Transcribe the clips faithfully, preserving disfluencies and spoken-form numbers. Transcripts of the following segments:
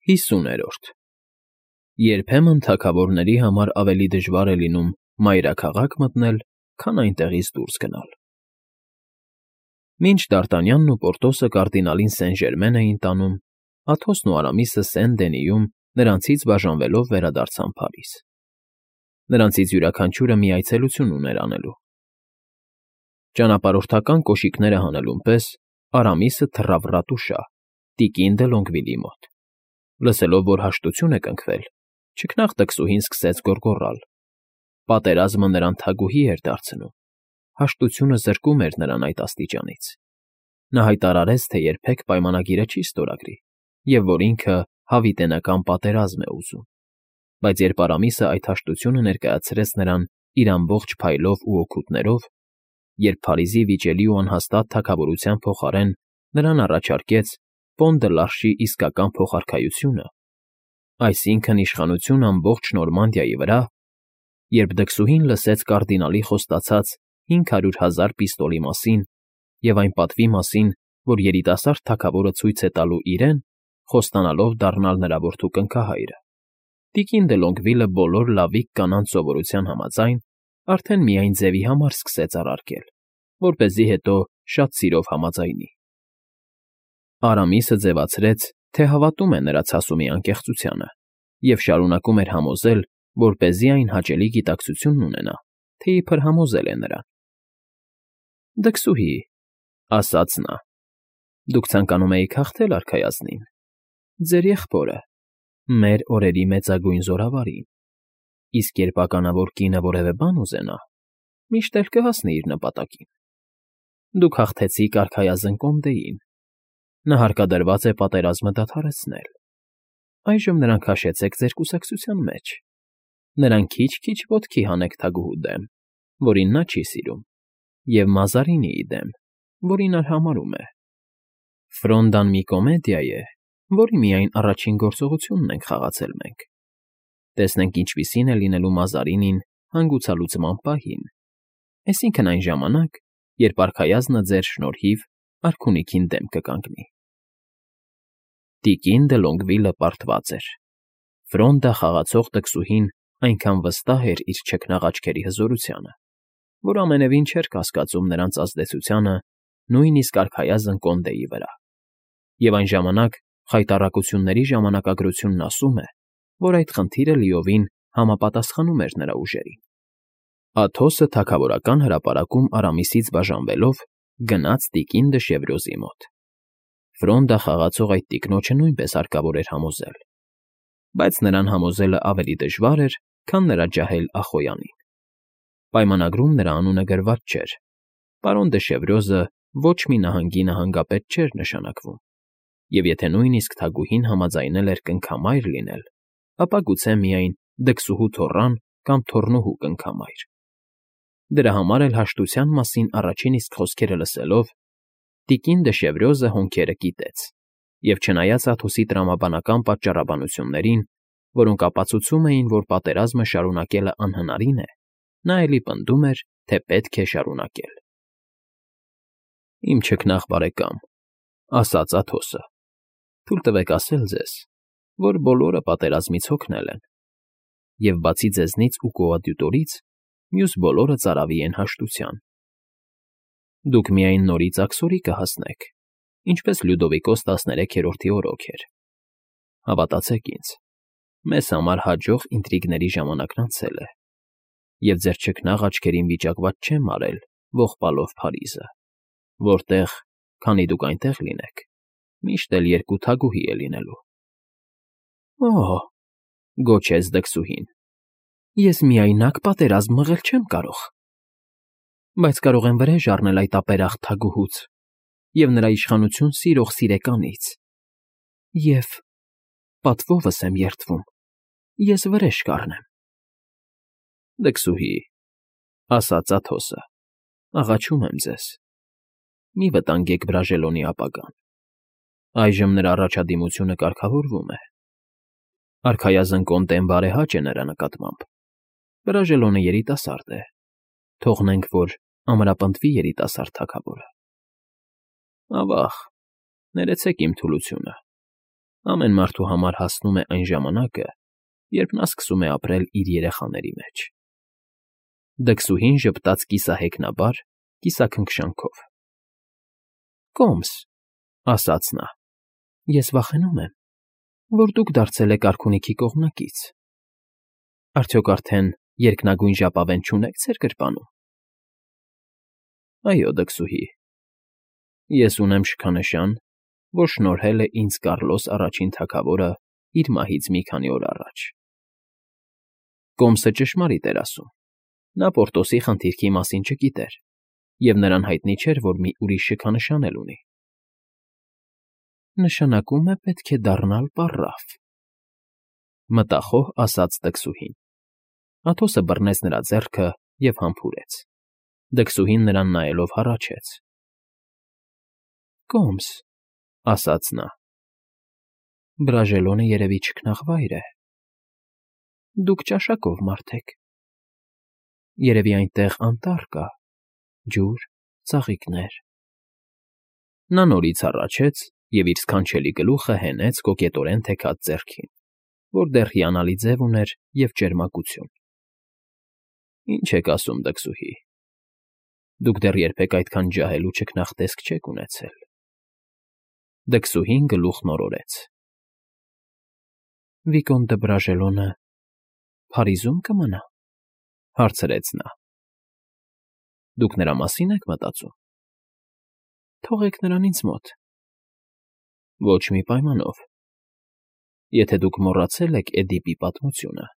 Հիսուներորդ Երբեմն թագավորների համար ավելի դժվար է լինում մայրաքաղաք մտնել, քան այնտեղից դուրս գնալ։ Մինչ Դարտանյանն ու Պորտոսը կարդինալին Սեն֊Ժերմեն էին տանում, Աթոսն ու Արամիսը Սեն֊Դենիում նրանցից բաժանվելով վերադարձան Փարիզ։ Նրանցից յուրաքանչյուրը մի այցելություն ուներ անելու։ Ճանապարհորդական կոշիկները հանելուն պես Արամիսը թռավ ռատուշա, տիկին դը Լոնգվիլի մոտ։ Լսելով, որ հաշտություն է կնքվել, չքնաղ տքսուհին սկսեց գոռգոռալ։ Պատերազմը նրան թագուհի էր դարձնում, հաշտությունը զրկում էր նրան այդ աստիճանից։ Նա հայտարարեց, թե երբեք պայմանագիրը չի ստորագրի և որ ինքը հավիտենական պատերազմ է ուզում։ Բայց երբ Արամիսը այդ հաշտությունը ներկայացրեց նրան իր ամբողջ փայլով ու օգուտներով, երբ Փարիզի վիճելի ու անհաստատ թագավորության փոխարեն նրան առաջարկեց Պոն դը Լարշի իսկական փոխարքայությունը, այսինքն՝ իշխանություն ամբողջ Նորմանդիայի վրա, երբ դքսուհին լսեց կարդինալի խոստացած հինգ հարյուր հազար պիստոլի մասին և այն պատվի մասին, որ երիտասարդ թագավորը ցույց է տալու իրեն, խոստանալով դառնալ նրա որդու կնքահայրը, տիկին դը Լոնգվիլը բոլոր լավիկ կանանց սովորության համաձայն արդեն միայն ձևի համար սկսեց առարկել, որպեսզի հետո շատ սիրով համաձայնի։ Արամիսը ձևացրեց, թե հավատում է նրա ցասումի անկեղծությանը և շարունակում էր համոզել, որպեսզի այն հաճելի գիտակցությունն ունենա, թե իբր համոզել է նրան։ Դքսուհի, ասաց նա, դուք ցանկանում էիք հաղթել արքայազնին, ձեր եղբորը, մեր օրերի մեծագույն զորավարին, իսկ երբ ականավոր կինը որևէ բան ուզենա, միշտ էլ կհասնի իր նպատակին։ Դուք հաղթեցիք արքայազն Կոնդեին, նա հարկադրված է պատերազմը դադարեցնել, այժմ նրան քաշեցեք ձեր կուսակցության մեջ, նրան քիչ֊քիչ ոտքի հանեք թագուհու դեմ, որին նա չի սիրում, և Մազարինիի դեմ, որին արհամարհում է։ Ֆրոնդան մի կոմեդիա է, որի միայն առաջին գործողությունն ենք խաղացել մենք։ Տեսնենք ինչպիսին է լինելու Մազարինին հանգուցալուծման պահին, այսինքն՝ այն ժամանակ, երբ արքայազնը ձեր շնորհիվ արքունիքին դեմ կկանգնի։ Տիկին դը Լոնգվիլը պարտված էր։ Ֆրոնդա խաղացող տքսուհին այնքան վստահ էր իր չքնաղ աչքերի հզորությանը, որ ամենևին չէր կասկածում նրանց ազդեցությանը նույնիսկ արքայազն Կոնդեի վրա։ Եվ այն ժամանակ խայտառակությունների ժամանակագրությունն ասում է, որ այդ խնդիրը լիովին համապատասխանում էր նրա ուժերին։ Աթոսը թագավորական հրապարակում Արամիսից բաժանվելով գնաց տիկին դը Շևրոզի մոտ։ Ֆրոնդա խաղացող այդ տիկնոջը նույնպես հարկավոր էր համոզել, բայց նրան համոզելը ավելի դժվար էր, քան նրա ջահել Ախոյանին։ Պայմանագրում նրա անունը գրված չէր, պարոն դը Շևրոզը ոչ մի նահանգի նահանգապետ չէր նշանակվում, և եթե նույնիսկ թագուհին համաձայնել էր կնքամայր լինել, ապա գուցե միայն դքսուհու թոռան կամ թոռնուհու կնքամայր։ Դրա համար էլ հաշտության մասին առաջին իսկ խոսքերը լսելով, տիկին դը Շևրոզը հոնքերը կիտեց և, չնայած Աթոսի տրամաբանական պատճառաբանություններին, որոնք ապացուցում էին, որ պատերազմը շարունակելը անհնարին է, նա էլի պնդում էր, թե պետք է շարունակել։ Իմ չքնաղ բարեկամ, ասաց Աթոսը, թույլ տվեք ասել ձեզ, որ բոլորը պատերազմից հոգնել են, և բացի ձեզնից ու կոադյուտորից, մյուս բոլորը ծարավի են հաշտության։ Դուք միայն նորից աքսորի կհասնեք, ինչպես Լյուդովիկոս տասներեքերորդի օրոք էր։ Հավատացեք ինձ, մեզ համար հաջող ինտրիգների ժամանակն անցել է, և ձեր չքնաղ աչքերին վիճակված չեմ արել ողբալով Փարիզը, որտեղ, քանի դուք այնտեղ լինեք, միշտ էլ երկու թագուհի է լինելու։ Օհ, գոչեց դքսուհին, ես միայնակ պատերազմ մղել չեմ կարող, բայց կարող եմ վրեժ առնել այդ ապերախտ թագուհուց և նրա իշխանություն սիրող սիրեկանից, և պատվովս եմ երդվում, ես վրեժ կառնեմ։ Դքսուհի, ասաց Աթոսը, աղաչում եմ ձեզ, մի վտանգեք Բրաժելոնի ապագան, այժմ նրա առաջադիմությունը կարգավորվում է։ Արքայազն Կոնդեն բարեհաճ է նրա նկատմամբ, Բրաժելոնը երիտասարդ է, թողնենք, որ ամրապնդվի երիտասարդ թագավորը։ Ավա՜ղ, ներեցեք իմ թուլությունը, Ամեն մարդու համար հասնում է այն ժամանակը, երբ նա սկսում է ապրել իր երեխաների մեջ։ Դքսուհին ժպտաց կիսահեքնաբար, կիսաքնքշանքով։ ֊ Կոմս,֊ ասաց նա,֊ ես վախենում եմ, որ դուք դարձել եք արքունիքի կողմնակից։ Արդյոք արդեն երկնագույն ժապավեն չունե՞ք ձեր գրպանում։ ֊ Այո, դքսուհի, ես ունեմ շքանշան, որ շնորհել է ինձ Կառլոս առաջին թագավորը իր մահից մի քանի օր առաջ։ Կոմսը ճշմարիտ էր ասում. նա Պորտոսի խնդիրքի մասին չգիտեր, և նրան հայտնի չէր, որ մի ուրիշ շքանշան էլ ունի։ Նշանակում է, պետք է դառնալ պառավ,֊ մտախոհ ասաց դքսուհին։ Աթոսը բռնեց նրա ձեռքը և համբուրեց։ Դքսուհին նրան նայելով հառաչեց։ ֊ Կոմս,֊ ասաց նա,֊ Բրաժելոնը երևի չքնաղվայր է։ Դուք ճաշակով մարդ եք։ Երևի այնտեղ անտառ կա, ջուր, ծաղիկներ… Նա նորից հառաչեց և իր սքանչելի գլուխը հենեց կոկետորեն թեքած ձեռքին, որ դեռ հիանալի ձև ուներ և ճերմակություն։ ֊ Ինչ եք ասում, դքսուհի, դուք դեռ երբեք այդքան ջահել ու չքնաղ տեսք չեք ունեցել։ Դքսուհին գլուխն օրորեց։ ֊ Վիկոն դը Բրաժելոնը Փարիզում կմնա,֊ հարցրեց նա։ ֊ Դուք նրա մասի՞ն եք մտածում։ ֊ Թողեք նրան ինձ մոտ։ ֊ Ոչ մի պայմանով։ Եթե դուք մոռացել եք Էդիպի պատմությունը,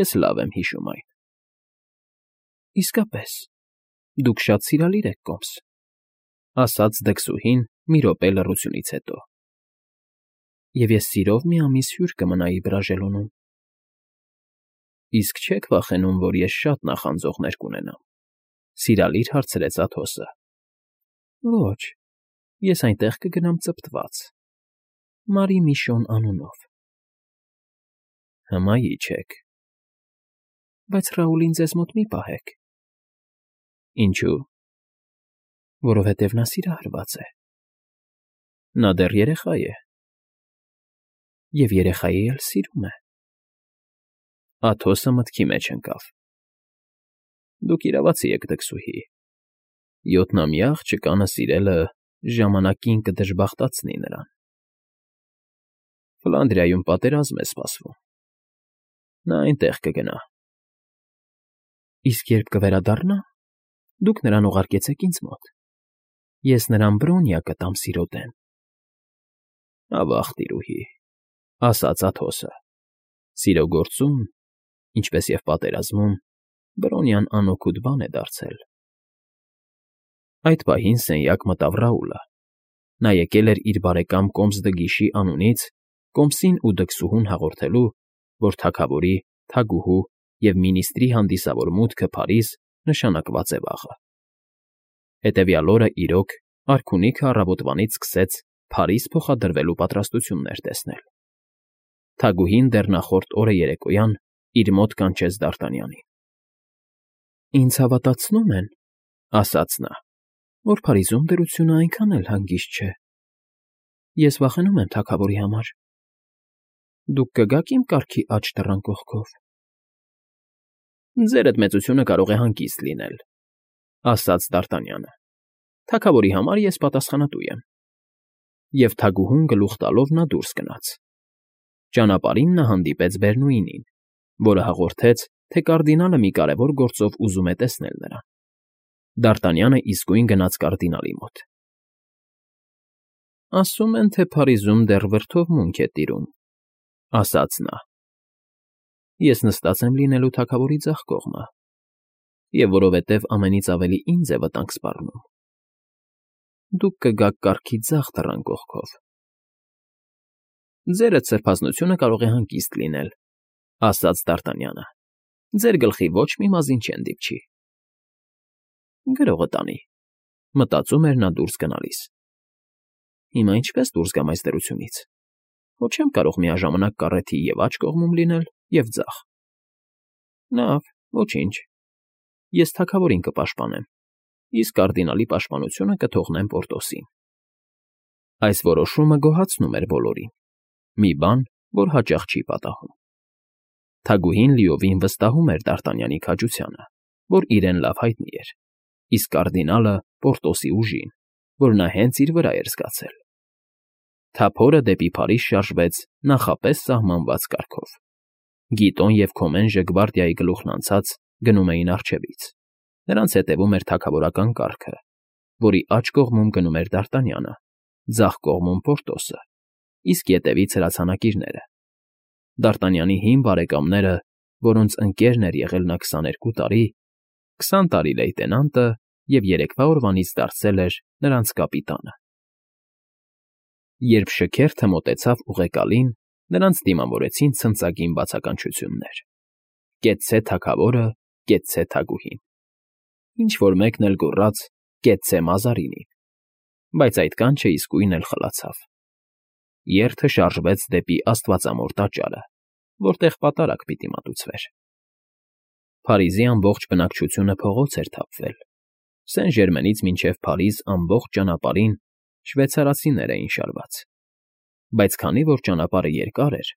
ես լավ եմ հիշում այն։ ֊ Իսկապես, դուք շատ սիրալիր եք, Կոմս,֊ ասաց դքսուհին մի րոպե լռությունից հետո։ ֊ Եվ ես սիրով մի ամիս հյուր կմնայի Բրաժելոնում։ ֊ Իսկ չե՞ք վախենում, որ ես շատ նախանձողներ կունենամ,֊ սիրալիր հարցրեց Աթոսը։ ֊ Ոչ, ես այնտեղ կգնամ ծպտված, Մարի Միշոն անունով։ ֊ Հմայիչ եք։ ֊ Բայց Ռաուլին ձեզ մոտ մի պահեք։ ֊ Ինչո՞ւ։ ֊ Որովհետև նա սիրահարված է։ ֊ Նա դեռ երեխա է։ ֊ Եվ երեխայի էլ սիրում է։ Աթոսը մտքի մեջ ընկավ։ ֊ Դուք իրավացի եք, դքսուհի, յոթնամյա աղջկանը սիրելը ժամանակին կդժբախտացնի նրան։ Ֆլանդրիայում պատերազմ է սպասվում։ Նա այնտեղ կգնա։ ֊ Իսկ երբ կվերադառնա, դուք նրան ուղարկեցեք ինձ մոտ, ես նրան Բրոնիա կտամ սիրո դեմ։ ֊ Ավա՜ղ, տիրուհի,֊ ասաց Աթոսը,֊ սիրո գործում, ինչպես և պատերազմում, Բրոնիան անօգուտ բան է դարձել։ Այդ պահին սենյակ մտավ Ռաուլը։ Նա եկել էր իր բարեկամ Կոմս դը Գիշի անունից Կոմսին ու դքսուհուն հաղորդելու, որ թագավորի, թագուհու և մինիստրի հանդիսավոր մուտքը Փարիզ նշանակված է վաղը։ Հետևյալ օրը, իրոք, արքունիքը առավոտվանից սկսեց Փարիզ փոխադրվելու պատրաստություններ տեսնել։ Թագուհին դեռ նախորդ օրը երեկոյան իր մոտ կանչեց Դարտանյանին։ ֊ Ինձ հավատացնում են,֊ ասաց նա,֊ որ Փարիզում դրությունը այնքան էլ հանգիստ չէ։ Ես վախենում եմ թագավորի համար։ Դուք կգաք իմ կառքի աջ դռան կողքով։ ֊ Ձերդ մեծությունը կարող է հանգիստ լինել,֊ ասաց Դարտանյանը։ Թագավորի համար ես պատասխանատու եմ։ Եվ թագուհուն գլուխ տալով նա դուրս գնաց։ Ճանապարհին նա հանդիպեց Բերնուինին, որը հաղորդեց, թե կարդինալը մի կարևոր գործով ուզում է տեսնել նրան։ Դարտանյանը իսկույն գնաց կարդինալի մոտ։ ֊ Ասում են, թե Փարիզում դեռ վրդովմունք է տիրում,֊ ասաց նա։ Ես նստած եմ լինելու թագավորի ձախ կողմը, և որովհետև ամենից ավելի ինձ է վտանգ սպառնում, դուք կգաք կառքի ձախ դռան կողքով։ ֊ Ձերդ սրբազնությունը կարող է հանգիստ լինել,֊ ասաց Դարտանյանը։ Ձեր գլխի ոչ մի մազին չեն դիպչի։ Գրողը տանի,֊ մտածում էր նա դուրս գնալիս։ Հիմա ինչպե՞ս դուրս գամ այս դրությունից։ Հո չեմ կարող միաժամանակ կառեթի և աջ կողմում լինել, և ձախ։ Լավ, ոչինչ, ես թագավորին կպաշտպանեմ, իսկ կարդինալի պաշտպանությունը կթողնեմ Պորտոսին։ Այս որոշումը գոհացնում էր բոլորին։ մի բան, որ հաճախ չի պատահում։ Թագուհին լիովին վստահում էր Դարտանյանի քաջությանը, որ իրեն լավ հայտնի էր, իսկ կարդինալը Պորտոսի ուժին, որ նա հենց իր վրա էր զգացել։ Թափորը դեպի Փարիզ շարժվեց նախապես սահմանված կարգով։ Գիտոն և Քոմենժը գվարդիայի գլուխն անցած գնում էին առջևից, նրանց հետևում էր թագավորական կառքը, որի աջ կողմում գնում էր Դարտանյանը, ձախ կողմում Պորտոսը, իսկ ետևից հրացանակիրները։ Դարտանյանի հին բարեկամները, որոնց ընկերն էր եղել նա քսաներկու տարի, քսան տարի լեյտենանտը և երեկվա օրվանից դարձել էր նրանց կապիտանը։ Երբ շքերթը մոտեցավ ուղեկալին, նրանց դիմավորեցին ցնծագին բացականչություններ. «Կեցցե թագավորը, կեցցե թագուհին»։ Ինչ֊որ մեկն էլ գոռաց. «Կեցցե Մազարինին», բայց այդ կանչը իսկույն էլ խլացավ։ Երթը շարժվեց դեպի Աստվածամոր տաճարը, որտեղ պատարագ պիտի մատուցվեր։ Փարիզի ամբողջ բնակչությունը փողոց էր թափվել։ Սեն֊Ժերմենից մինչև Փարիզ ամբողջ ճանապարհին շվեյցարացիներ էին շարված։ Բայց քանի որ ճանապարհը երկար էր,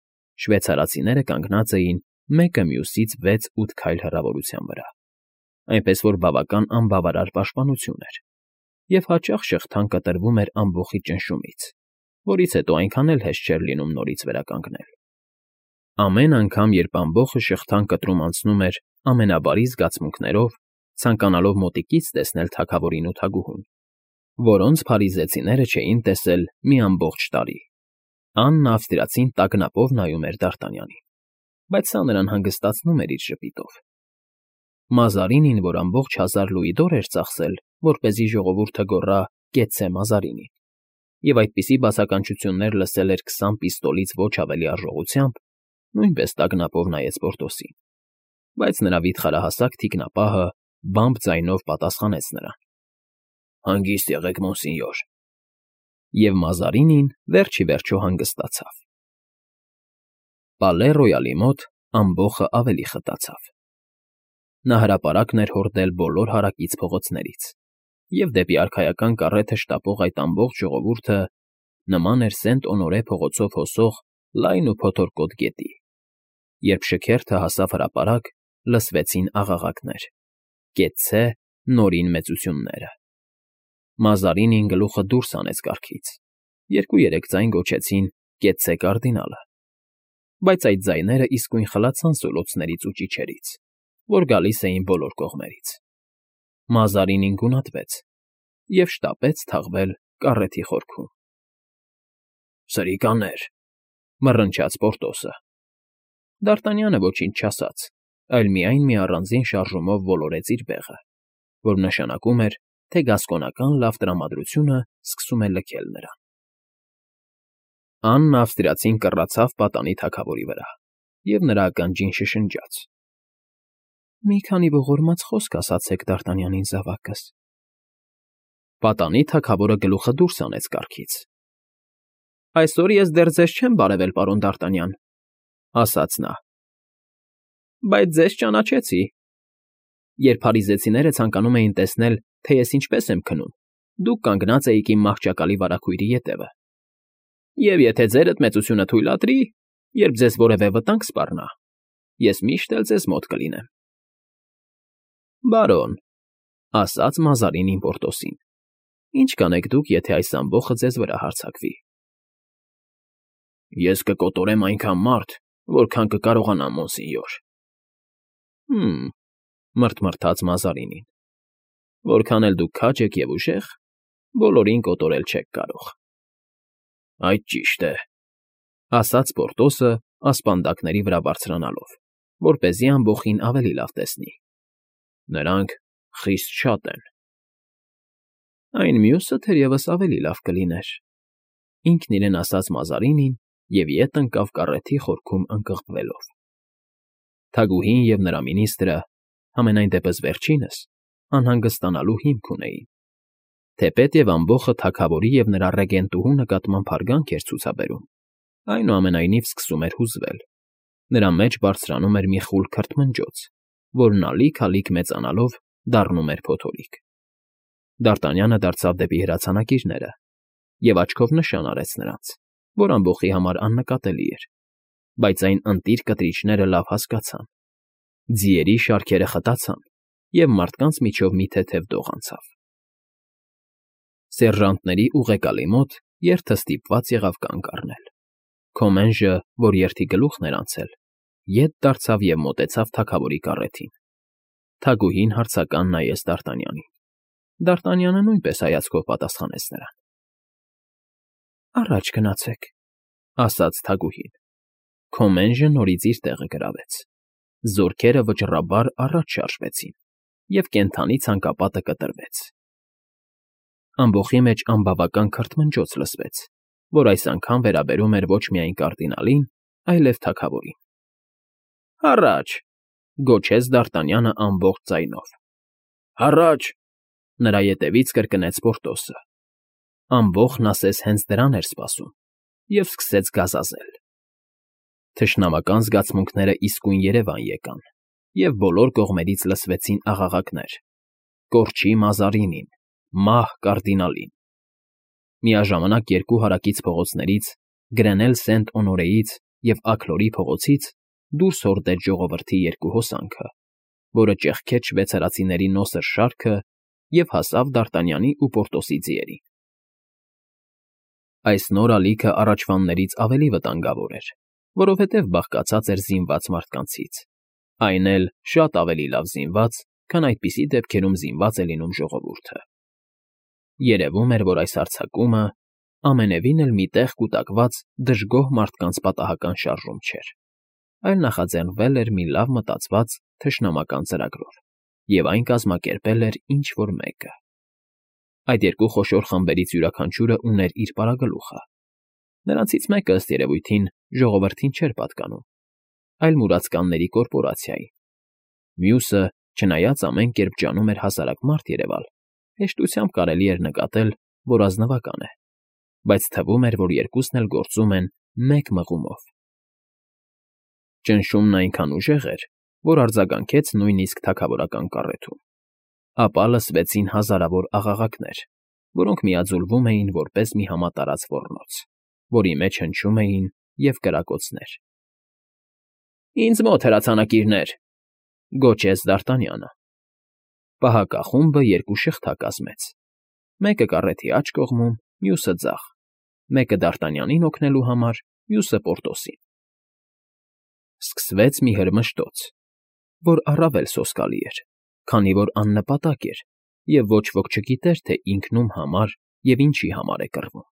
շվեյցարացիները կանգնած էին մեկը մյուսից վեց֊ութ քայլ հեռավորության վրա, այնպես որ բավական անբավարար պաշտպանություն էր, և հաճախ շղթան կտրվում էր ամբոխի ճնշումից, որից հետո այնքան էլ հեշտ չէր լինում նորից վերականգնել։ Ամեն անգամ, երբ ամբոխը շղթան կտրում անցնում էր ամենաբարի զգացմունքներով, ցանկանալով մոտիկից տեսնել թագավորին ու թագուհուն, որոնց փարիզեցիները չէին տեսել մի ամբողջ տարի, Աննա ավստրիացին տագնապով նայում էր Դարտանյանին, բայց սա նրան հանգստացնում էր իր ժպիտով։ Մազարինին, որ ամբողջ հազար լուիդոր էր ծախսել, որպեսզի ժողովուրդը գոռա «Կեցցե Մազարինին», և այդպիսի բացականչություններ լսել էր քսան պիստոլից ոչ ավելի արժողությամբ, նույնպես տագնապով նայեց Պորտոսին, բայց նրա վիթխարահասակ թիկնապահը բամբ ձայնով պատասխանեց նրան. «Հանգիստ եղեք, մոնսինյոր»։ Եվ Մազարինին վերջ ի վերջո հանգստացավ։ Պալե Ռոյալի մոտ ամբոխը ավելի խտացավ։ Նա հրապարակն էր հորդել բոլոր հարակից փողոցներից, և դեպի արքայական կառեթը շտապող այդ ամբողջ ժողովուրդը նման էր Սենտ֊Օնորե փողոցով հոսող լայն ու փոթորկոտ գետի։ Երբ շքերթը հասավ հրապարակ, լսվեցին աղաղակներ. «Կեցցե Նորին մեծությունները»։ Մազարինին գլուխը դուրս հանեց կառքից, երկու֊երեք ձայն գոչեցին «Կեցցե կարդինալը», բայց այդ ձայները իսկույն խլացան սոլոցներից ու ճիչերից, որ գալիս էին բոլոր կողմերից։ Մազարինին գունատվեց և շտապեց թաղվել կառեթի խորքում։ «Սրիկաներ», մռնչաց Պորտոսը։ Դարտանյանը ոչինչ չասաց, այլ միայն մի առանձին շարժումով ոլորեց իր բեղը, որ նշանակում էր, թե գասկոնական լավ տրամադրությունը սկսում է լքել նրան։ Աննա ավստրիացին կռացավ պատանի թագավորի վրա, և նրա ականջին շշնջաց. «Մի քանի ողորմած խոսք ասացեք Դարտանյանին, զավակս»։ Պատանի թագավորը գլուխը դուրս հանեց կառքից։ «Այսօր ես դեռ ձեզ չեմ բարևել, պարոն Դարտանյան», ասաց նա, «բայց ձեզ ճանաչեցի։ Երբ փարիզեցիները ցանկանում էին տեսնել, թե ես ինչպես եմ քնում, դուք կանգնած էիք իմ մահճակալի վարագույրի ետևը, և եթե ձերդ մեծությունը թույլատրի, երբ ձեզ որևէ վտանգ սպառնա, ես միշտ էլ ձեզ մոտ կլինեմ»։ «Բարոն», ասաց Մազարինին Պորտոսին, «ինչ կանեք դուք, եթե այս ամբոխը ձեզ վրա հարձակվի»։ «Ես կկոտորեմ այնքան մարդ, որքան կկարողանամ, մոնսինյոր»։ «Հը՜մ», մռթմռթաց Մազարինին, «որքան էլ դուք քաջ եք և ուժեղ, բոլորին կոտորել չեք կարող»։ «Այդ ճիշտ է», ասաց Պորտոսը ասպանդակների վրա բարձրանալով, որպեսզի ամբոխին ավելի լավ տեսնի։ «Նրանք խիստ շատ են»։ «Այն մյուսը թերևս ավելի լավ կլիներ», ինքն իրեն ասաց Մազարինին և ետ ընկավ կառեթի խորքում ընկղմվելով։ Թագուհին և նրա մինիստրը, համենայն դեպս վերջինս, անհանգստանալու հիմք ունեին, թեպետև ամբոխը թագավորի և նրա ռեգենտուհու նկատմամբ հարգանք էր ցուցաբերում, այնուամենայնիվ սկսում էր հուզվել, նրա մեջ բարձրանում էր մի խուլ քրթմնջոց, որն ալիք֊ալիք մեծանալով դառնում էր փոթորիկ։ Դարտանյանը դարձավ դեպի հրացանակիրները և աչքով նշան արեց նրանց, որ ամբոխի համար աննկատելի էր, բայց այն ընտիր կտրիչները լավ հասկացան, ձիերի շարքերը խտացան, և մարդկանց միջով մի թեթև դող անցավ։ Սերժանտների ուղեկալի մոտ երթը ստիպված եղավ կանգ առնել։ Քոմենժը, որ երթի գլուխն էր անցել, ետ դարձավ և մոտեցավ թագավորի կառեթին։ Թագուհին հարցական նայեց Դարտանյանին։ Դարտանյանը նույնպես հայացքով պատասխանեց նրան։ ֊ Առաջ գնացեք, ֊ ասաց թագուհին։ Քոմենժը նորից իր տեղը գրավեց։ Զորքերը վճռաբար առաջ շարժվեցին, և կենդանի ցանկապատը կտրվեց։ Ամբոխի մեջ անբավական քրթմնջոց լսվեց, որ այս անգամ վերաբերում էր ոչ միայն կարդինալին, այլև թագավորին։ ֊ Հառաչ, ֊ գոչեց Դարտանյանը ամբողջ ձայնով։ ֊ Հառաչ, ֊ նրա ետևից կրկնեց Պորտոսը։ Ամբոխն ասես հենց դրան էր սպասում և սկսեց գազազել։ Թշնամական զգացմունքներն իսկույն երևան եկան, և բոլոր կողմերից լսվեցին աղաղակներ. «Կորչի Մազարինին», «Մահ կարդինալին»։ Միաժամանակ երկու հարակից փողոցներից՝ Գրենել Սենտ֊Օնորեից և Աքլորի փողոցից, դուրս հորդեց ժողովրդի երկու հոսանքը, որը ճեղքեց շվեյցարացիների նոսր շարքը և հասավ Դարտանյանի ու Պորտոսի ձիերին։ Այս նոր ալիքը առաջվաններից ավելի վտանգավոր էր, որովհետև բաղկացած էր զինված մարդկանցից, այն էլ շատ ավելի լավ զինված, քան այդպիսի դեպքերում զինված է լինում ժողովուրդը։ Երևում էր, որ այս հարձակումը ամենևին էլ մի տեղ կուտակված դժգոհ մարդկանց պատահական շարժում չէր, այլ նախաձեռնվել էր մի լավ մտածված թշնամական ծրագրով, և այն կազմակերպել էր ինչ֊որ մեկը։ Այդ երկու խոշոր խմբերից յուրաքանչյուրը ուներ իր պարագլուխը։ Նրանցից մեկը, ըստ երևույթին, ժողովրդին չէր պատկանում, այլ մուրացկանների կորպորացիային։ Մյուսը, չնայած ամեն կերպ ջանում էր հասարակ մարդ երևալ, հեշտությամբ կարելի էր նկատել, որ ազնվական է, բայց թվում էր, որ երկուսն էլ գործում են մեկ մղումով։ Ճնշումն այնքան ուժեղ էր, որ արձագանքեց նույնիսկ թագավորական կառեթում։ Ապա լսվեցին հազարավոր աղաղակներ, որոնք միաձուլվում էին որպես մի համատարած ոռնոց, որի մեջ հնչում էին և կրակոցներ։ ֊ Ինձ մոտ, հրացանակիրներ, ֊ գոչեց Դարտանյանը։ Պահակախումբը երկու շղթա կազմեց, մեկը կառեթի աջ կողմում, մյուսը՝ ձախ, մեկը Դարտանյանին օգնելու համար, մյուսը՝ Պորտոսին։ Սկսվեց մի հրմշտոց, որ առավել սոսկալի էր, քանի որ աննպատակ էր, և ոչ ոք չգիտեր, թե ինքն ում համար և ինչի համար է կռվում։